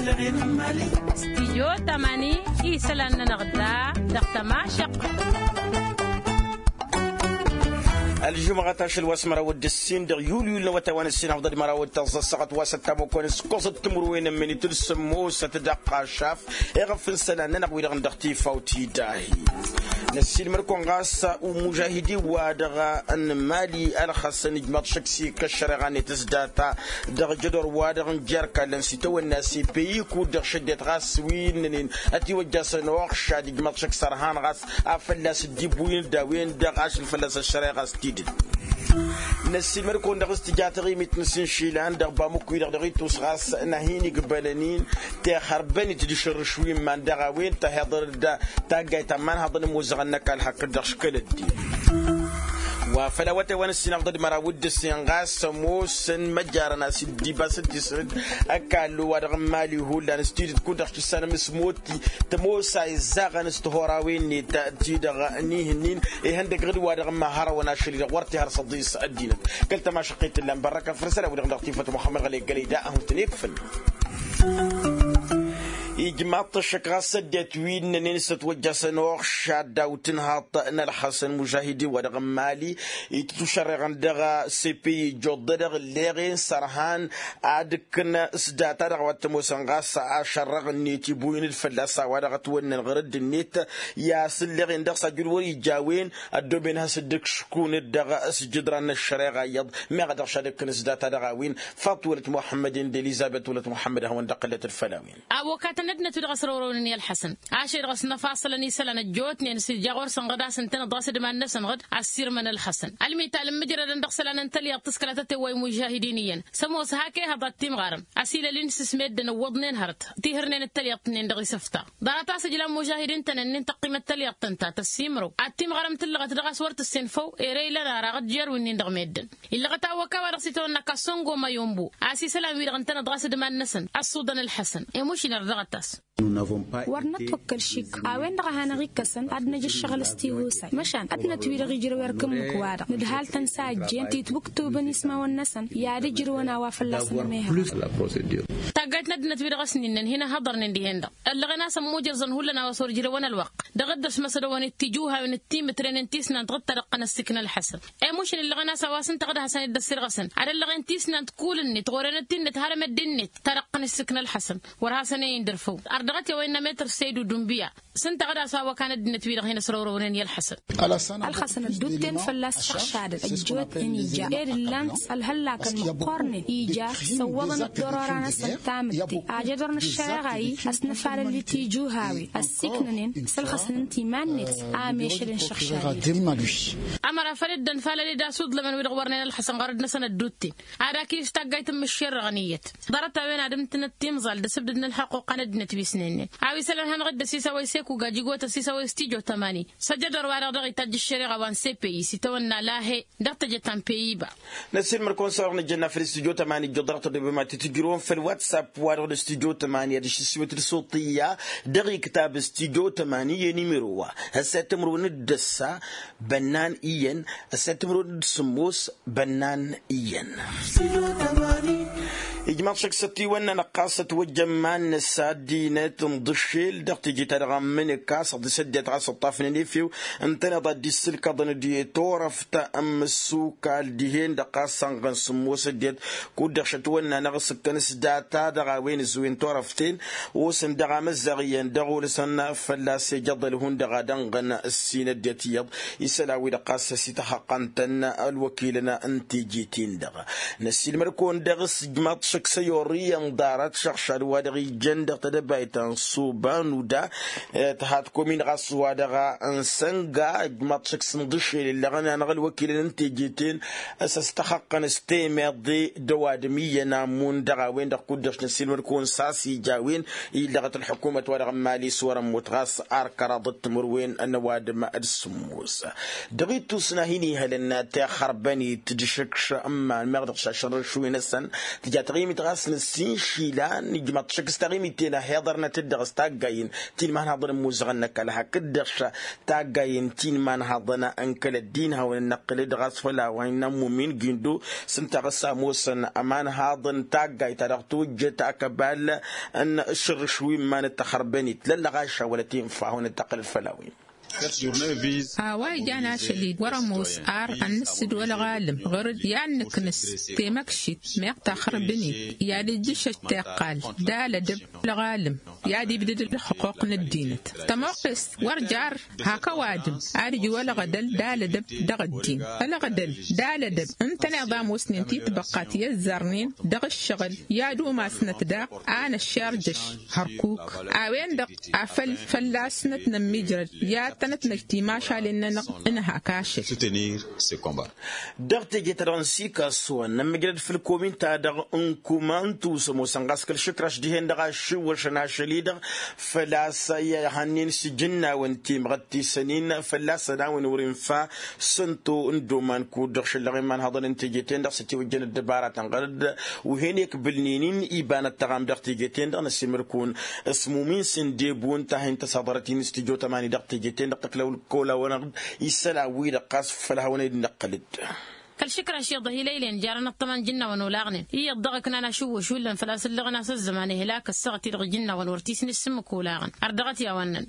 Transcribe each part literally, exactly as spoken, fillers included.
Stijyo tamani isălan-nănăɣ da dăɣ-tămašăq. Ălžumɣăt ašăl wa s-măraw d-ǝssin dăɣ-yulyul n-awătay wa n-ǝssin afḍăd măraw d-tăẓẓa ăssaɣăt wa s-ăttamăkon s-kosăt timǝrwen n-minit d-sǝmmosăt d-ăqqašaf. Iɣăf n-isălan-nănăɣ wi-dăɣ n-dăɣ tifawt idahi. Năssiilmăd-kăwăn ɣas umužahidi-wa-dăɣ n-mali ălxăsăn ijmaḍ šăkk s-ikka ăššăreɣa-net s-data dăɣ-jădor-wa-dăɣ n-jer-kallăn s-itawănna s-ipeyi kud-dăɣ šăddet ɣas wi ǝnnănen ătiwăjjasăn oxšad ijmaḍ šăkk s-ărhan ɣas a fălla-s dd-ibuyǝn d-a-wen-dăɣ ašăl fălla-s ăššăreɣa s-tidǝt. Năssiilmăd-kăwăn dăɣ-s tǝja taɣimit n-asǝnšilan dăɣ-bamuk-wi-dăɣ dăɣ-itus ɣas n-ad-hin-igbănăn-in tixărbăn-it d-išǝrrǝš wi n-iman dăɣ-a-wen tăhiḍăr-dd taggayt ta n-iman-haḍăn ămoozăɣăn n-ăkall hakd-dăɣ škăl ăddin. Wa făl awătay wa n-ǝssin afḍăd măraw d-ǝssin ɣas ămoosăn măjarăn a-s dd-ibas d-tisrǝd ăkall wa-dăɣ n-mali hullan s-tidǝt kud-dăɣ s-tǝssanăm s-motti tămoos a izzaɣăn s-tihurawen-net ti-dăɣ n-ihǝnnin ihăndăgg d-wa-dăɣ n-mahărăwăn ašăl-i-dăɣ wăr t-ihăr s-ăḍis ăddinăt. Kăl-tămašăqqet tǝllan bărrăkăn făll-isălan-wi-dăɣ n-dăɣ-tifăt muxămmăd ɣăley gălăy da ad-hun-tăn-ikfǝl. Ijmaḍ-t ăššăk ɣas ăddinăt wi ǝnnănen s-ătwăjjasăn oxšad daw-tǝnhaḍt n-ălxăsăn mužahidin wa dăɣ-n mali itǝtušărreɣăn dăɣ-sepi ijjoḍ-dăɣ ǝlleɣ-en s-ărhan ad-ǝkkǝn s-data-dăɣ wa t-ămoosăn ɣas ašărrăɣ-net ibuyǝn-dd fălla-s a-wa-dăɣ ătwănnăn ɣur-dd-net i-asǝlleɣ-en dăɣ-s ajǝl wăr-ija a-wen ăddooben has-dd-ǝkškun-dd dăɣ-s jǝdran n-ăššăreɣa iyyăḍ meɣ a dăɣ-s ad-ǝkkǝn s-data-dăɣ a-wen. Faḍt wălăt muxămmăd-en d-elizăbet wălăt muxămmăd ad-hawăn-dd-ăqqǝlăt d-făll-a-wen. Ăwwăkatăn ăddinăt wi-dăɣ ăsrăwrăwnen i-ălḥăsăn ašăl-i-dăɣ s-năfaṣălăn isălan ăjjootnen s-ija ɣur-săn ɣǝd a-s ǝntăneḍ ɣas d-iman-năsăn ɣǝd. Ăssiirmăn ălxăsăn ălmital n-imǝjradăn dăɣ-isălan n-tălyaḍt s-kăla tătewwăy mužahidin iyyăn s-ămoos hak ehăḍ ad-timɣarăm ăsilăl-in s-ismeddǝn ǝwwăḍnen hărăt tihǝrnen d-tălyaḍt-nin dăɣ-isǝfta. Ḍarăt-as ǝjlan mužahidin-tăn-ǝnnin tăqqimăt tălyaḍt ǝnta tăssimrăw ad-timɣarăm tǝllăɣăt dăɣ-a-s wăr tǝssinfăw ere ilăn ara ɣǝd jer-winnin dăɣ-meddǝn. Illăɣăt a ăwwăk a-wa dăɣ-s itawănna kassongo mayombo a-s isălan-wi-dăɣ ǝntăneḍ ɣas d-iman-năsăn ăṣṣuḍăn ălḥăsăn. Emušin ărdăɣăt-as. Wăr nătwăkkăl šik a-wen-dăɣ a hanăɣ-ikkăsăn ad-năj ǝššăɣǝl s-tiwusay măšan ăddinăt-wi-dăɣ ijrăw erk ǝmmǝk-wa-dăɣ nǝdhal-tăn s-a ăjjeen titwǝktubăn ismawăn-năsăn i-ad-ǝjrǝwăn a-wa fălla-săn ămehăr. Taggayt n-ăddinăt wi-dăɣ ăsninnăn hin-ăhhăḍărnen dihen-dăɣ ăllăɣen a-s ămmujărẓăn hullan a-wa s-wăr ǝjrăwăn ălwăqq dăɣ-dd-ăsmăsădăwăn d-tijǝwhawen d-timǝtren n-tisnant ɣǝd-ta dăɣ-tăn-ăssikna ălḥăsăn. Emušǝl ǝllăɣen a-s a-wa s-ǝnta ɣǝd-hasăn-dd-ăssirɣăsăn ad-ăllăɣen tisnant kull-net ɣur-enăt-ti-net har emăddi-net ta dăɣ-tăn-ǝssikna ălḥăsăn. Wăr hasăn-e-in dd-ărfăw ărdăɣăt i-a-wa innă metăr seydu d-unbǝya. S-ǝnta ɣǝd a-s a-wa kan ăddinăt-wi-dăɣ hin-ăsrăwrăwnen i-ălxăsăn. Ălxăsăn ădduutten fălla-s šăɣšadăn ăjjootnen ija ed ǝllan-t ălhăllakăn măqqoornen ija săwwăḍăn-dd torora-năsăn tamǝtte. Ajădor n-ăššăreɣa-i ăsnăfalăl i-tijuhawen ăssiiknănen s-ălxăsăn ǝnta iman-net a ămešălăn šăɣšadăn. Ămăra făl dd-ănfalăl-dd asuḍlămăn wi-dăɣ wărnen ălxăsăn ɣărăd-năsăn ădduutten ad-akǝy s-taggayt n-imǝššerrăɣăn iyyăt. Ḍarăt-a-wen ad-ǝmtǝnăt timẓal d-asǝbdǝd n-ălxăqquqa n-ăddinăt wi s-nenne a-wa isălan hanăɣ-dd-ăsisawăy sekuga jigotăs isawăy s-tijo tămani. S-ăjădor-wa-dăɣ daɣ itajj ăššăreɣa wa n-sepeyi s-itawănna lahe dăɣ-teje ta n-peyiba. Năssiilmăd-kăwăn s-a-dăɣ nǝjjănna făll-studyo tămani ǝjjuḍ dăɣ-tădobem ad-t-tǝjrǝwăn făll-whatsapp wa dăɣ-d studyo tămani ad-išǝssiwăt d-suṭṭiyya dăɣ-iktab studyo tămani i-nimiro wa ăssayăt timǝrwen d-ăssa bănnan iyyăn ăssayăt timǝrwen d-sǝmmos bănnan iyyăn. Ijmaḍ šăkk s-ătiwănna năqqas ătwăjjăn iman-năs ad-dd-inăt n-iḍǝššel dăɣ-teje-ta-dăɣ n-imǝnǝka s-ăḍḍisăt dd-iyyăt ɣas ǝṭṭafnen efew ǝntăneḍ ad-dd-issǝlkăḍăn d-i-turăft n-imǝssukal dihen-dăɣ ɣas ănɣăn sǝmmos dd-iyyăt. Kud-dăɣ šătwănna-năɣ s-ǝkkăn s-data dăɣ-a-wen ǝzzuwen turăft-en osăn dăɣ-amăzzaɣ iyyăn dăɣ-olăsăn fălla-s ejăḍăl hundăɣ ad-ănɣăn ǝssin ăddinăt iyyăḍ. Isălan-wi-dăɣ ɣas ăsităxăqqăn-tăn ălwăkilăn n-teje-ten-dăɣ. Năssiilmăd-kăwăn dăɣ-s ǝjmaḍ šăkk s-ăyorriyăn ḍarăt šăɣšad wa dăɣ-ijăn dăɣ-tedăbayt ta n-suba n-uda tǝha tăkomin ɣas wa dăɣ-n sănga ǝjmaḍ šăkk s-inḍǝššel illăɣăn-anăɣ ălwăkilăn n-teje-ten. S-ăstăxăqqăn s-temeḍe d-ăwadǝm iyyăn amun dăɣ-a-wen-dăɣ kud-dăɣ s-năssiilmăd-kăwăn s-a-s ija a-wen illăɣăt ălḥukumăt wa dăɣ-n mali s-wăr-ămmut ɣas ar kăraḍăt timǝrwen n-ăwadǝm d-sǝmmos. Dăɣ-ittus n-ad-hin-ihălăn tixărbănit d-išǝkš n-iman meɣ dăɣ-s ašărrăš wi-năsăn tǝja. Imit ɣas nǝssin išilan ijmaḍ-t šăkk s-taɣimit-en a hi-iḍărnăt-dd dăɣ-s taggayen ti n-imanhaḍăn n-imuzăɣăn n-ăkall hakd-dăɣ. Taggayen ti n-imanhaḍăn n-kăl-ăddin hawăn-dd-năqqǝlăd ɣas făll-a-wa innă n-mumin gindo s-ǝnta ɣas a ămoosăn ămanhaḍăn n-taggayt ta dăɣ-tojjăt akăbal n-ašărrǝš wi n-iman dd-tăxărbănit lăllăɣaša wăla tinfa hawăn-dd-tăqqǝlăd făll-a-wen. A-wa ijan ašăl-i wăr-ămoos ar ad-nǝssǝd wălɣalǝm ɣur-dd i-ad-nǝknǝs temăkšit meɣ taxărbǝnit i-ad-ǝjjǝšăj tiqqal d-alădăb wălɣalǝm i-ad-ibdǝd ălxuqq n-ăddinăt. Tămoqqest wăr jar hak ăwadǝm ad-ǝj wălɣădăl d-alădăb dăɣ-ăddin ălɣădăl d-alădăb ǝntăneḍ a ămoosnen titbăqqa ti ăzzărnen dăɣ-ǝššăɣǝl i-ad-umasnăt daɣ a năššarjăš hărkuk. A-wen-dăɣ afăl fălla-s nătnămmijrăd i-ad-tănătnăj timašalen-nănăɣ. Ǝnhak ašăl. Dăɣ-teje-ta-dăɣ n-sikaswăn nămmǝjrăd făll-komin-ta-dăɣ n-kumantu s-ămoosăn ɣas kăl-išǝkraš dihen-dăɣ ašǝwwăšăn ašăl-i-dăɣ făl-a-s i-ihănnen s-ijǝnnawăn timɣăttisăn-in fălla-săn a-wen wăr-infa sănto n-doman kud-dăɣ šăllăɣ imanhăḍăn n-teje-ten-dăɣ s-ătiwăjjăn ăddăbaratăn ɣărăd. Wi hen-ekbǝlnen-in ibanăt tăɣam dăɣ-teje-ten-dăɣ năsimărkun s-mumin s-ǝndebu ǝnta a hin-tăsaḍărăt-in s-tijot ămani dăɣ-teje-ten-dăɣ tăklawăl kăwăl-awănăɣ-dd isălan-wi-dăɣ ɣas făll-hawăn-dd-năqqǝl-dd. Kăl-išǝkraš iyyăḍ a hi-lăylăyăn jarăn ăṭṭăma n-ijǝnnawăn olaɣnen iyyăḍ dăɣ-ǝknan ašǝwwǝš hullan făl-a-s ǝllăɣăn a-s ăzzăman ihlak ăssaɣăt-i-dăɣ ijǝnnawăn wăr t-isnǝssǝmmǝk olaɣăn. Ărdăɣăt i-a-wa ǝnnăn.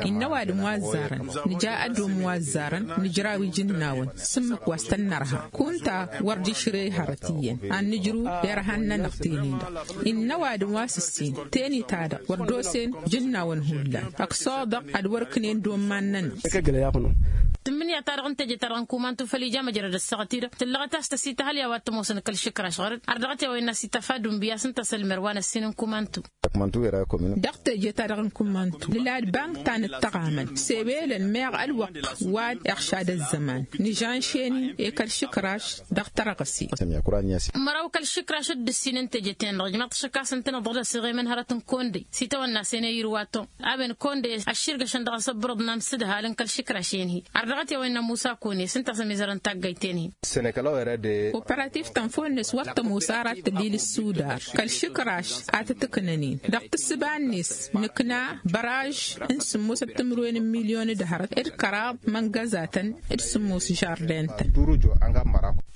Innă ăwadǝm wa ăzzarăn nǝja ădom wa ăzzarăn nǝjraw ijǝnnawăn s-ǝmmǝk wa s-tăn-nărha kunta wăr dd-išrǝy hărăt iyyăn ad-nǝjrǝw irhan-nănăɣ teni-dăɣ. Innă ăwadǝm wa s-ǝssin teni-ta-dăɣ wăr dd-osen ijǝnnawăn hullan ăksoḍăɣ ad-wăr-ǝknen d-omman-nănăɣ. Tǝmmǝnǝya-ta-dăɣ n-teje-ta-dăɣ n-kumantu făl ija măjrăd ăssaɣăt-i-dăɣ tǝllăɣăt a-s tăsităhăl i-a-wa t-ămoosăn kăl-išǝkraš ɣur-dd. Ărdăɣăt i-a-wa innă s-ităfa d-unbǝy a-s ǝnta s-ălmer wa n-ăssin n-kumantu. Dăɣ-teje-ta-dăɣ n-kumantu nǝlad bank ta n-ǝttăɣamăn sebelăn meɣ ălwăqq wa d-iɣšad ăzzăman nǝžžanšen-in i-kăl-išǝkraš. Dăɣ-tărɣǝse. Măraw kăl-išǝkraš dd-ǝssin n-teje-ten-dăɣ ijmaḍ-t šăkk a-s ǝntăneḍ dd-ăsiɣemăn hărăt n-kondăy s-itawănna s-enăy irwaton a-wen kondăy ăšširgăšăn dăɣ-asăbbărăḍ n-amsǝdhal n-kăl-išǝkraš-en-hi. Ărdăɣăt i-a-wa innă musa kone s-ǝnta a-s ămizărăn taggayt-en-hi. Operativ ta n-fonnes wăr tămoos ara ad-tădil ǝssudar kăl-išǝkraš a tăt-ǝknăn-in dăɣ-tǝssǝba-net nǝkna băraž n-sǝmmosăt timǝrwen n-milyon d-hărăt d-kăraḍ măngăzatăn d-sǝmmos žarden-tăn.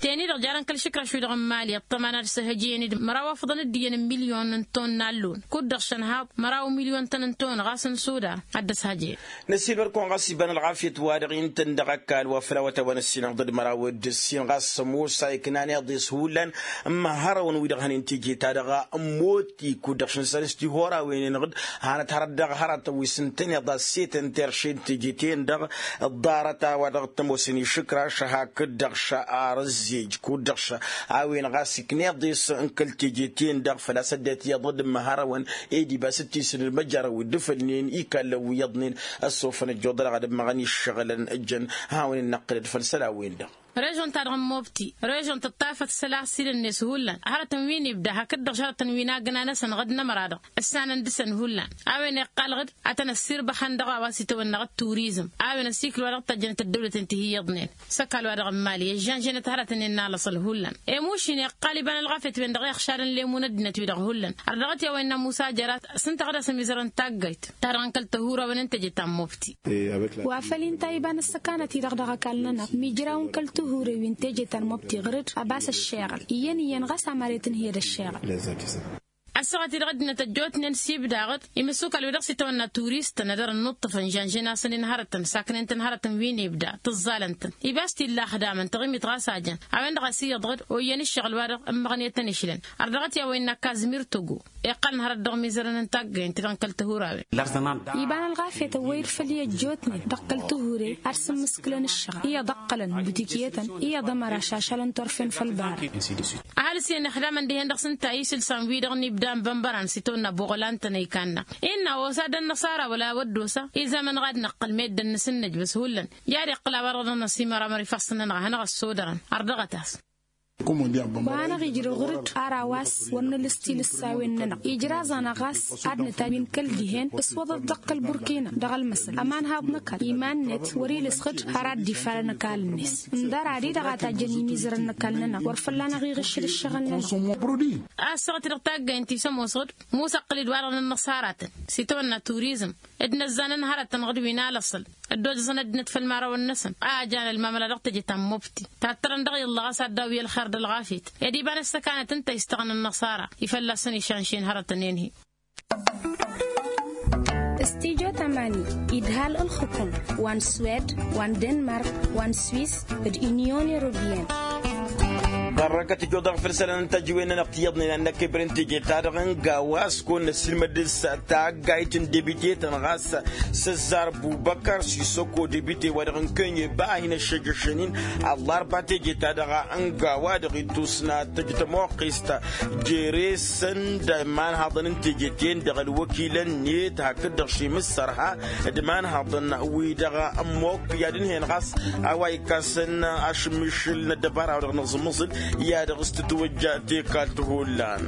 Teni-dăɣ jarăn kăl-išǝkraš-wi-dăɣ n-imali ăṭṭăma n-ad-săhăjăyăn-dd măraw afḍăn d-iyyăn n-milyon n-ton n-allun kud-dăɣ šănhaḍ măraw milyon-tăn n-ton ɣas n-sudar ad-dd-ăshăjăyăn. Năsiilmăr-kăwăn ɣas iba n-ălɣafyăt-wa-dăɣ intăn dăɣ-ăkall wa făl a-wa t-a-wa n-ăssinăɣ dd-măraw d-ǝssin ɣas ămoos a iknan iḍes hullan n-imăhărăwăn wi-dăɣ hănen teje-ta-dăɣ ămmoti kud-dăɣ šǝnsăn s-tihorawen-enăɣ-dd. Hanăt hărăt dăɣ-hărătăn wi s-ǝntăneḍ a-s setăn terše n-teje-ten-dăɣ ăḍḍarăt a-wa dăɣ-t-ămoosăn išǝkraš hakd-dăɣ šăr ăzzej kud-dăɣ šăr a-wen ɣas ikna iḍes n-kăl-teje-ten-dăɣ făl-a-s ăddinăt iyyăḍ d-imăhărăwăn ed ibas d-tisǝnǝd măjjărăw dd-ǝfălnen ikallăn wi iyyăḍnen. Ăssofăn ăjjoḍălăɣ ad-ǝmmăɣăn iššăɣǝlăn ǝjjăn hawăn-in-năqqǝlăd făll-isălan-wen-dăɣ. Režon-ta-dăɣ n-mobti režon tǝṭṭafăt isălan s-ilăn-net hullan hărătăn wi n-ibda hakd-dăɣ šărătăn wi n-agna-năsăn ɣǝd n-ămăra-dăɣ ǝssanăn dăɣ-săn hullan. A-wen iqqal ɣǝd ad-tăn-ăssirbăxăn dăɣ-a-wa s-itawănna ɣǝd turizm a-wen ăsikǝl-wa-dăɣ t-ăjjănăt ăddăwlăten ti hi-iyyăḍnen s-ăkall-wa-dăɣ n-imali ăžžănžănăt hărătăn-en n-alăṣăl hullan. Emušin iqqal iba n-ălɣafyăt-wen-dăɣ i-iɣšadăn lemu n-ăddinăt-wi-dăɣ hullan. Ărdăɣăt i-a-wa innă musa jărat s-ǝnta ɣǝd a-s ămizărăn taggayt ta dăɣ-n kăl-tăhurawen n-teje ta n-mobti. Wa făl inta iba n-ăssăkanăt-i-dăɣ dăɣ-ăkall-nănăɣ mijraw n-kăl-tăhure wi n-teje ta n-mobti ɣǝr-dd ăbas ăššeɣăl iyyăn iyyăn ɣas amăre tǝnhǝyăd ăššeɣăl. Ăssaɣăt-i-dăɣ ăddinăt ăjjootnen s-ibda ɣǝd imǝssukal-wi-dăɣ s-itawănna turistăn ad-dăr-ǝnnuṭṭǝfăn žănžen-asăn-in hărătăn saknen-tăn hărătăn wi n-ibda tǝẓẓalăn-tăn. Ibas t-illa ăxdamăn taɣimit ɣas a jăn a-wen-dăɣ a-s iyyăḍ ɣǝd oyyăn ǝššăɣǝl-wa-dăɣ ǝmmăɣnet-ănešlăn. Ărdăɣăt i-a-wa innă kazmir togo iqqălăn hărăt dăɣ-imizărăn n-taggayăn-ti-dăɣ n-kăl-tăhurawen. Iba n-ălɣafyăt ăwwăy-dd făll-i ăjjootnen dăɣ-kăl-tăhure ad-sǝmmǝskǝlăn ǝššăɣǝl iyyăḍ ăqqălăn butikiyătăn iyyăḍ ămăra šašalăn turfen făll-bara. Ăhalǝs-iyyăn ixdamăn dihen-dăɣ s-ǝnta isǝlsan-wi-dăɣ n-ibda n-bănbăran s-itawănna buɣlan-tăn a ikannăɣ. Innă a-wa s-ad-ănnăṣ ara wăla wăddosa izamăn ɣad năqqăl meddǝn n-asǝnnǝj băs hullan. I-ad-iqqǝl a-wa-dăɣ dăɣ-năsimăr amăr ifassăn-nănăɣ a hanăɣ-ăssodărăn. Ărdăɣăt-as. Wa hanăɣ-ijrăw ɣur-dd ar a-wa s-wăr nǝlǝs tilǝssawen-nănăɣ ijraẓ-anăɣ ɣas ad-nǝta wi n-kăl-dihen s-wăḍăt dăɣ-kăl-burkina dăɣ-ălmăsăl ămanhaḍ n-ăkall iman-net wăr-ilǝsɣǝd har ad-dd-ifalăn ăkall-net. Ǝndăr ad-i-dăɣ a tajjăn imizărăn n-ăkall-nănăɣ wăr fălla-năɣ iɣǝššǝl ǝššăɣǝl-nănăɣ. Ăssaɣăt-i-dăɣ taggaynt-i s-ămoosăɣ-dd musăqqǝl-dd wa-dăɣ n-ănnăṣaratăn s-itawănna turizm d-inăzzanăn hărătăn ɣǝd wi n-alăṣṣăl ăddojăẓăn ăddinăt făll-imărawăn-năsăn a ăjan ălmamăla dăɣ-teje ta n-mubti tattărăn dăɣ-i ǝllăɣ a-s ad-daw i-ălxer d-ălɣafyăt. Ed iba n-ăssăkanăt ǝnta a istăɣăn ănnăṣara i-fălla-săn išanšin hărătăn-en-hi. Studyo tamani idhal ǝlxǝkǝm wa n-swed wa n-denmark wa n-swis d-inyon europiyăn. Ărrăkăt ijodăɣ făll-isălan n-tajǝwen-nănăɣ ti iyyăḍnen ad-năkk ebre n-teje-ta-dăɣ n-gawa s-kăwăn-năssilmăd dăɣ-s taggayt n-debitetăn ɣas s-ăzzar bubăkăr sisoko debite wa dăɣ-n kănye ba a hin-ăššăjjăšăn-in. Ăllarba teje-ta-dăɣ n-gawa dăɣ-itusna tăjj tămoqqest jere-săn d-imanhaḍăn n-teje-ten-dăɣ ălwăkilăn-net hakd-dăɣ šimǝssărha d-imanhaḍăn wi-dăɣ ămmok i-ad-ǝnhăyăn ɣas a-wa ikkasăn ašǝmmišǝl n-ăddăbara-wa-dăɣ n-aẓǝmmǝẓǝl i-ad-dăɣ s-tǝtwăjja tekalt hullan.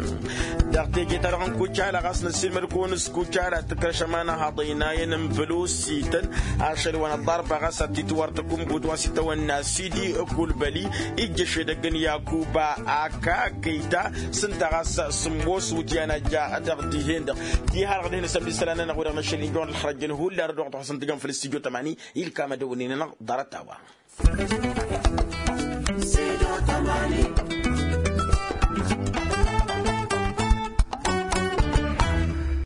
Dăɣ-teje-ta-dăɣ n-kucala ɣas năssiilmăd-kăwăn s-kucala tǝkrăš ămanăhaḍ ăynayăn n-bălosităn ašăl wa n-ăllarba ɣas ad-t-itwar tăkumbut wa s-itawănna sidi kulbăli ijjăš edăgg n-yakuba aka kăyta s-ǝnta ɣas sǝmmos wǝtyan ajja dăɣ-dihen-dăɣ. Diha-dăɣ dihen-săn d-isălan-nănăɣ wi-dăɣ năšăl injăwăn ălxărăjjăn hullan d-oɣ tăxsăn tǝjăn făll-studyo tămani ilkam ad-ăwǝnnin-nănăɣ ḍarăt-a-wa.